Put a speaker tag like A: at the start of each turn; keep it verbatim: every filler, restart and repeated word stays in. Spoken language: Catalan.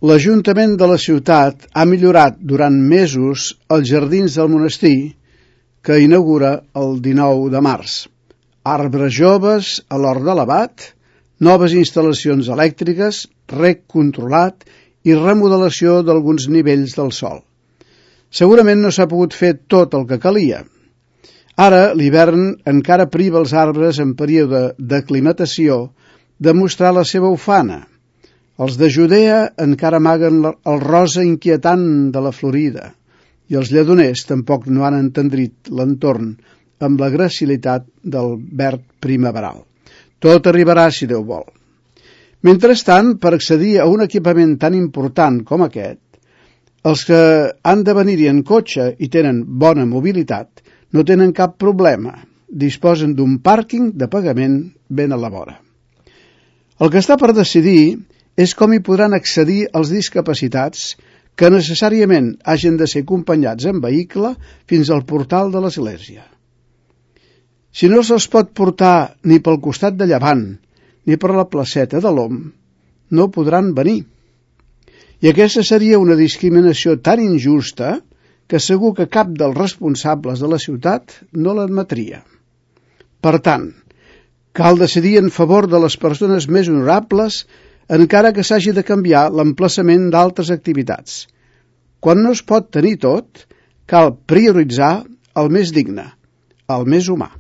A: L'Ajuntament de la ciutat ha millorat durant mesos els jardins del monestir que inaugura el dinou de març. Arbres joves a l'hort de l'abat, noves instal·lacions elèctriques, reg controlat i remodelació d'alguns nivells del sòl. Segurament no s'ha pogut fer tot el que calia. Ara, l'hivern encara priva els arbres en període d'aclimatació de mostrar la seva ufana. Els de Judea encara amaguen el rosa inquietant de la Florida i els lledoners tampoc no han entendrit l'entorn amb la gracilitat del verd primaveral. Tot arribarà si Déu vol. Mentrestant, per accedir a un equipament tan important com aquest, els que han de venir-hi en cotxe i tenen bona mobilitat no tenen cap problema, disposen d'un pàrquing de pagament ben a la vora. El que està per decidir és com hi podran accedir els discapacitats que necessàriament hagin de ser acompanyats en vehicle fins al portal de l'església. Si no se'ls pot portar ni pel costat de llevant ni per la placeta de l'Om, no podran venir. I aquesta seria una discriminació tan injusta que segur que cap dels responsables de la ciutat no l'admetria. Per tant, cal decidir en favor de les persones més honorables encara que s'hagi de canviar l'emplaçament d'altres activitats. Quan no es pot tenir tot, cal prioritzar el més digne, el més humà.